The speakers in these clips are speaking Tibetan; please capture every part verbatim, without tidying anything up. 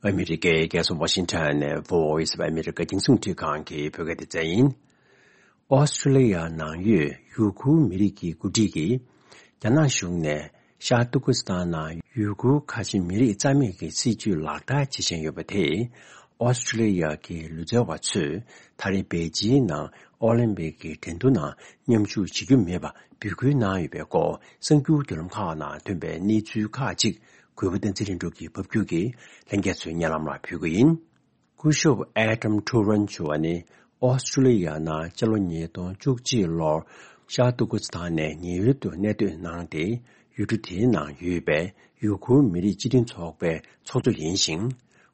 ཨ་མི་རི་ཀའི་རྒྱལ་ས་ཝ་ཤིང་ཊོན་ནས་Voice of America རྒྱང་སྲིང་རླུང་འཕྲིན་ཁང་གི་བོད་སྐད་སྡེ་ཚན་ཡིན། ཨོ་སི་ཀྲི་ལི་ཡ་ནང་ཡོད་ཡུ་གུར་མི་རིགས་ཀྱི་འགོ་ཁྲིད་ཀྱིས། རྒྱ་ནག་གཞུང་ནས་ཤར་ཏུར་ཀི་སི་ཐན་ནང་ཡུ་གུར་ཁ་ཆེ་མི་རིགས་རྩ་མེད་ཀྱི་སྲིད་བྱུས་ལག་བསྟར་བྱེད་བཞིན་ཡོད་པ་དེས། ཨོ་སི་ཀྲི་ལི་ཡ་གི་ལུས་རྩལ་བ་ཚོས་ད་རེས་པེ་ཅིང་ནང་ཨོ་ལིམ་པིག་གི་འགྲན་བསྡུར་ནང་མཉམ་ཞུགས་བྱེད་རྒྱུ་མེད་པ་འབོད་སྐུལ་གནང་ཡོད་པའི་སྐོར། གསར་འགྱུར་བརྒྱུད་ལམ་ཁག་ནང་ཐོན་པའི་གནས་ཚུལ་ཁག་ཅིག་གུས་པ་བསྟན་འཛིན་ལྷུན་གྲུབ་ཀྱིས་ཕབ་སྒྱུར་གྱིས་ལྷན་རྒྱས་ཚོའི་སྙན་ལམ་ལ་ཕུལ་གྱི་ཡིན། སྐུ་ཞབས་ཨེ་ཌམ་ཐུ་རན་ཞུ་བ་ནི། ཨོ་སི་ཀྲི་ལི་ཡ་ནང་སྤྱི་ལོ་ཉིས་སྟོང་བཅུ་གཅིག་ལོར་ཤར་ཏུར་ཀི་སི་ཐན་ནས་ཉེན་གཡོལ་དུ་གནས་སྡོད་གནང་སྟེ། ཡུལ་གྲུ་དེའི་ནང་ཡོད་པའི་ཡུ་གུར་མི་རིགས་སྤྱི་མཐུན་ཚོགས་པའི་ཚོགས་གཙོ་ཡིན་ཞིང་།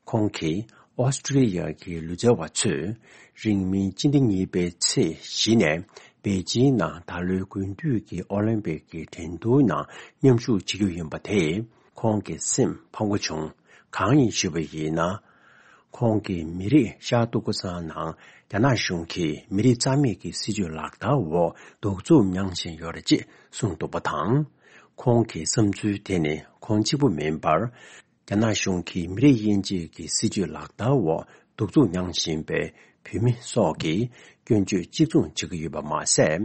ཁོང་གིས་ཨོ་སི་ཀྲི་ལི་ཡ་གི་ལུས་རྩལ་བ་ཚོས་རིང་མིན་སྤྱི་ཟླ་གཉིས་པའི་ཚེས་བཞི་ནས་པེ་ཅིང་ནང་ད་ལོའི་དགུན་དུས་ཀྱི་ཨོ་ལིམ་པིག་གི་འགྲན་བསྡུར་ནང་མཉམ་ཞུགས་བྱེད་རྒྱུ་ཡིན་པ་དེས་ཁོང་གི་སེམས་ཕམ་པོ་བྱུང་། གང་ཡིན་ཞུས་པ་ཡིན་ན། ཁོང་གིས་མི་རིགས་ཤར་ཏུར་ཀི་སི་ཐན་ནང་རྒྱ་ནག་གཞུང་གིས་མི་རིགས་རྩ་མེད་ཀྱི་སྲིད་བྱུས་ལག་བསྟར་འོག་གདུག་རྩུབ་མྱངས་བཞིན་ཡོད་རེད་ཅེས་གསུངས་འདུག་པ་དང་། ཁོང་གི་བསམ་ཚུལ་དེ་ནི་ཁོང་གཅིག་པུ་མིན་པར། རྒྱ་ནག་གཞུང་གིས་མི་རིགས་དབྱེ་འབྱེད་ཀྱི་སྲིད་བྱུས་ལག་བསྟར་འོག་གདུག་རྩུབ་མྱངས་བཞིན་པའི་བོད་མི་སོགས་ཀྱི་སྐྱོན་བརྗོད་གཅིག་མཚུངས་བྱེད་ཀྱི་ཡོད་པ་མ་ཟད།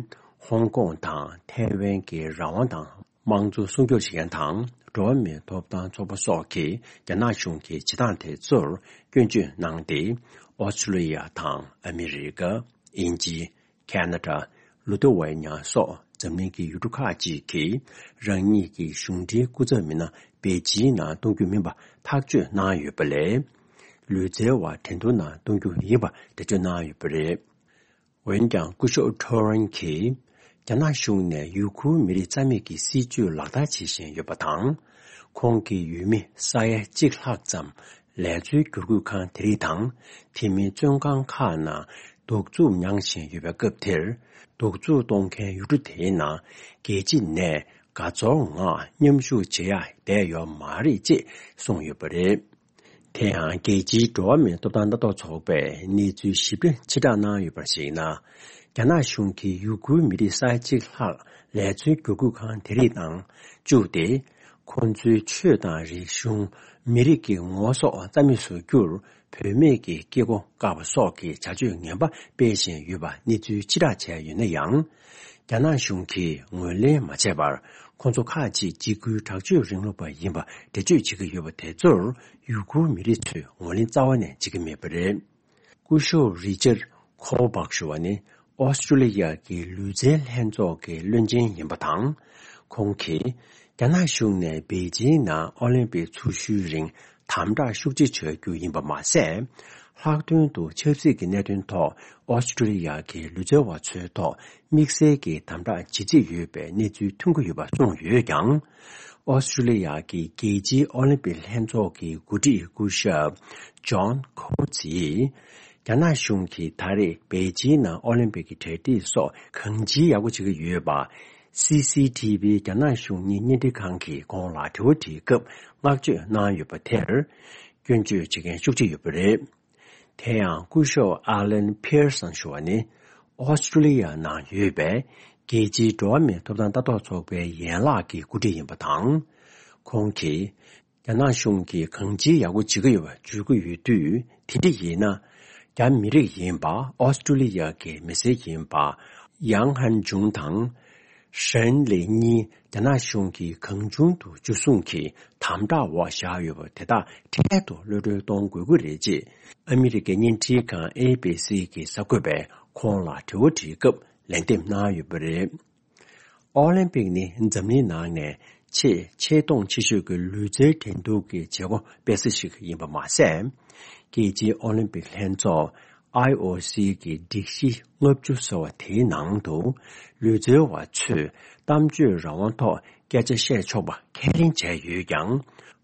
ཧོང་ཀོང་དང་ཐའེ་ཝན་གྱི་རང་དབང་དང་། དམངས་གཙོ་སྲུང་སྐྱོབ་བྱེད་མཁན་དང་འགྲོ་བ་མིའི་ཐོབ་ཐང་ཚོགས་པ་སོགས་ཀྱིས་རྒྱ་ནག་གཞུང་གི་བྱེད་སྟངས་དེ་ཚོར་སྐྱོན་བརྗོད་གནང་སྟེ། ཨོ་སི་ཀྲི་ལི་ཡ་དང་ཨ་མི་རི་ཀ། དབྱིན་ཇི། ཁ་ན་ཌ། ལི་ཐུ་ཝེ་ནི་ཡ་སོགས་འཛམ་གླིང་གི་ཡུལ་གྲུ་ཁག་ཅིག་གིས་རང་ཉིད་ཀྱི་གཞུང་འབྲེལ་སྐུ་ཚབ་མི་སྣ་པེ་ཅིང་ནང་གཏོང་རྒྱུ་མིན་པ་ཐག་གཅོད་གནང་ཡོད་པ་ལས། ལུས་རྩལ་བ་འགྲན་བསྡུར་ནང་གཏོང་རྒྱུ་ཡིན་པ་འགྲེལ་བརྗོད་གནང་ཡོད་པ་རེད། འོན་ཀྱང་སྐུ་ཞབས་ཐོ་རན་གྱིས་རྒྱ་ནག་གཞུང་ནས་ཡུ་གུར་མི་རིགས་རྩ་མེད་ཀྱི་སྲིད་བྱུས་ལག་བསྟར་བྱེད་བཞིན་ཡོད་པ་དང་། ཁོང་གི་ཡུལ་མི་ས་ཡ་གཅིག་ལྷག་ཙམ་ལས་འཚོལ་བསྒྱུར་བཀོད་ཁང་དེ་རིགས་དང་དེ་མིན་བཙོན་ཁང་ཁག་ནང་གདུག་རྩུབ་མྱངས་བཞིན་ཡོད་པའི་སྐབས་དེར། གདུག་རྩུབ་གཏོང་མཁན་ཡུལ་གྲུ་དེའི་ནང་རྒྱལ་སྤྱི་ནས་དགའ་ཚོར་ངང་མཉམ་ཞུགས་བྱེད་ཡ་བསྡད་ཡོད་མ་རེད་ཅེས་གསུངས་ཡོད་པ་རེད། དེ་ཡང་རྒྱལ་སྤྱིའི་འགྲོ་བ་མིའི་ཐོབ་ཐང་ལྟ་རྟོག་ཚོགས་པས་གནས་ཚུལ་ཞིབ་ཕྲ་ཕྱིར་བསྒྲགས་གནང་ཡོད་པར་གཞིགས་ན། རྒྱ་ནག་གཞུང་གིས་ཡུ་གུར་མི་རིགས་ས་ཡ་གཅིག་ལྷག་ལས་འཚོལ་བསྒྱུར་བཀོད་ཁང་དེ་རིགས་ནང་བཅུག་སྟེ། ཁོང་ཚོའི་ཆོས་དང་རིག་གཞུང་། མི་རིགས་ཀྱི་ངོ་བོ་སོགས་རྩ་མེད་བཟོ་རྒྱུར་བུད་མེད་ཀྱི་སྐྱེ་སྒོ་བཀག་པ་སོགས་ཀྱི་བྱ་སྤྱོད་ངན་པ་སྤེལ་བཞིན་ཡོད་པ་གནས་ཚུལ་ཕྱིར་བསྒྲགས་བྱས་ཡོད་ན་ཡང་། རྒྱ་ནག་གཞུང་གིས་ངོས་ལེན་མ་བྱས་པར། ཁོང་ཚོ་ཁག་ཅིག་འཇིགས་སྐུལ་དྲག་སྤྱོད་རིང་ལུགས་པ་ཡིན་པ་འགྲེལ་བརྗོད་བྱེད་ཀྱི་ཡོད་པ་དེ་ཚོར་ཡུ་གུར་མི་རིགས་ཚོས་ངོས་ལེན་རྩ་བ་ནས་བྱེད་ཀྱི་མེད་པ་རེད། སྐུ་ཞབས་རི་ཅར་ཁོ་བག་ཞུ་བ་ནི་ཨོ་སི་ཀྲུ་ལི་ཡ་གི་ལུས་རྩལ་ལྷན་ཚོགས་ཀྱི་བློན་ཆེན་ཡིན་པ་དང་། ཁོང་གིས་རྒྱ་ནག་གཞུང་ནས་པེ་ཅིང་ནང་ཨོ་ལིམ་པིག་ཚུགས་ཞུའི་རིང་དམ་དྲག་ཤུགས་ཆེ་བྱ་རྒྱུ་ཡིན་པ་མ་ཟད། ལྷག་དོན་དུ་ཆབ་སྲིད་ཀྱི་གནད་དོན་ཐོག་ཨོ་སི་ཀྲུ་ལི་ཡ་གི་ལུས་རྩལ་བ་ཚོའི་ཐོག་དམིགས་བསལ་གྱི་དམ་དྲག་ཇི་སྲིད་ཡོད་པའི་གནས་ཚུལ་ཐོན་གྱི་ཡོད་པ་གསུངས་ཡོད་ཀྱང་། ཨོ་སི་ཀྲུ་ལི་ཡ་གི་རྒྱལ་སྤྱིའི་ཨོ་ལིམ་པིག་ལྷན་ཚོགས་ཀྱི་འགོ་ཁྲིད་སྐུ་ཞབས་ཇོན་ཁོ་ཚིས། རྒྱ་ནག་གཞུང་གིས་ད་རེས་པེ་ཅིང་ནང་ཨོ་ལིམ་པིག་གི་གྲ་སྒྲིག་སོགས་གང་ཅིའི་ཡག་པོ་བྱེད་ཀྱི་ཡོད་པ། སི་སི་ཐི་བི་རྒྱ་ནག་གཞུང་གཉེར་བརྙན་འཕྲིན་ཁང་གིས་ཁོང་ལ་དྲི་བ་དྲིས་སྐབས་བསྔགས་བརྗོད་གནང་ཡོད་པ་དེར། སྐྱོན་བརྗོད་བྱེད་མཁན་ཤུགས་ཆེ་ཡོད་པ་རེད། དེ་ཡང་སྐུ་ཞབས་ཨ་ལན་ཕིར་སན་ཞུ་བ་ནི་ཨོ་སི་ཀྲུ་ལི་ཡ་ནང་ཡོད་པའི་རྒྱལ་སྤྱིའི་འགྲོ་བ་མིའི་ཐོབ་ཐང་ལྟ་རྟོག་ཚོགས་པའི་ཡན་ལག་གི་འགོ་ཁྲིད་ཡིན་པ་དང་། ཁོང་གིས། རྒྱ་ནག་གཞུང་གིས་གང་ཅིའི་ཡག་པོ་བྱེད་ཀྱི་ཡོད་པ་བརྗོད་ཀྱི་ཡོད་དུས། དེ་འདྲ་ཡིན་ན། རྒྱ་མི་རིགས་ཡིན་པ་ཨོ་སི་ཀྲུ་ལི་ཡ་གི་མི་སེར་ཡིན་པ་ཡང་ཧན་ཇུང་དང་། ཧྲན་ལི་གཉིས་རྒྱ་ནག་གཞུང་གིས་གང་བྱུང་དུ་འཇུ་བཟུང་གིས་དམ་དྲག་འོག་བཞག་ཡོད་པ་དེ་དག་འཕྲལ་དུ་གློད་གྲོལ་གཏོང་དགོས་ཀྱི་རེད་ཅེས་ཨ་མི་རི་ཀའི་བརྙན་འཕྲིན་ཁང་ཨེ་བི་སི་གི་གསར་འགོད་པས་ཁོང་ལ་དྲི་བ་དྲིས་སྐབས་ལན་འདེབས་གནང་ཡོད་པ་རེད། ཨོ་ལིམ་པིག་ནི་འཛམ་གླིང་ནང་ནས་ཆེས་ཆེ་མཐོང་ཆེ་ཤོས་ཀྱི་ལུས་རྩལ་འགྲན་བསྡུར་གྱི་བྱེད་སྒོ་སྤེལ་ས་ཞིག་ཡིན་པ་མ་ཟད། རྒྱལ་སྤྱིའི་ཨོ་ལིམ་པིག་ལྷན་ཚོགས་ཨའི་ཨོ་སི་གི་སྒྲིག་གཞི་ལྔ་བཅུ་ཟེར་བ་དེའི་ནང་དུ་ལུས་རྩལ་བ་ཚོས་གཏམ་བརྗོད་རང་དབང་ཐོག་སྐད་ཆ་བཤད་ཆོག་པ་ཁས་ལེན་བྱས་ཡོད་ཀྱང་།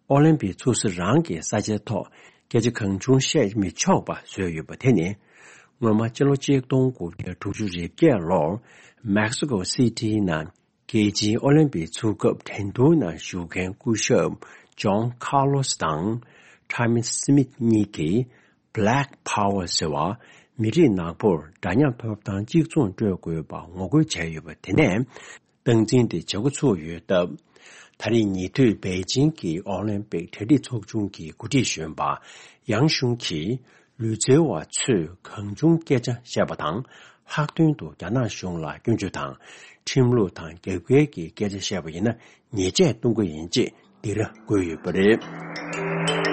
ཨོ་ལིམ་པིག་ཚུགས་ས་རང་གི་ས་ཆའི་ཐོག་སྐད་ཆ་གང་བྱུང་བཤད་མི་ཆོག་པ་བཟོས་ཡོད་པ་དེ་ནི། སྔོན་མ་སྤྱི་ལོ་གཅིག་སྟོང་དགུ་བརྒྱ་དྲུག་ཅུ་རེ་བརྒྱད་ལོར་མེག་སི་ཀོ་སི་ཊི་ནང་རྒྱལ་སྤྱིའི་ཨོ་ལིམ་པིག་ཚུགས་སྐབས་འགྲན་བསྡུར་ནང་ཞུགས་མཁན་སྐུ་ཞབས་ཇོན་ཁཱར་ལོ་སི་དང་ཁྲ་མི་སི་མིད་གཉིས་ཀྱིས་Black Power ཟེར་བ། མི་རིགས་ནག་པོར་འདྲ་མཉམ་ཐོབ་ཐང་གཅིག་མཚུངས་སྤྲོད་དགོས་པ་ངོ་རྒོལ་བྱས་ཡོད་པ་དེ་ནས། སྟངས་འཛིན་དེ་བྱེད་འགོ་ཚུགས་ཡོད་སྟབས། ད་རེས་ཉེ་དུས་པེ་ཅིང་གི་ཨོ་ལིམ་པིག་གྲ་སྒྲིག་ཚོགས་ཆུང་གི་འགོ་ཁྲིད་གཞོན་པ་ཡང་ཞུང་གིས། ལུས་རྩལ་བ་ཚོས་གང་བྱུང་སྐད་ཆ་བཤད་པ་དང་། ལྷག་དོན་དུ་རྒྱ་ནག་གཞུང་ལ་སྐྱོན་བརྗོད་དང་། ཁྲིམས་ལུགས་དང་རྒྱབ་འགལ་གྱི་སྐད་ཆ་བཤད་པ་ཡིན་ན། ཉེས་ཆད་གཏོང་གི་ཡིན་ཅེས་འདི་ར་བཀོད་ཡོད་པ་རེད།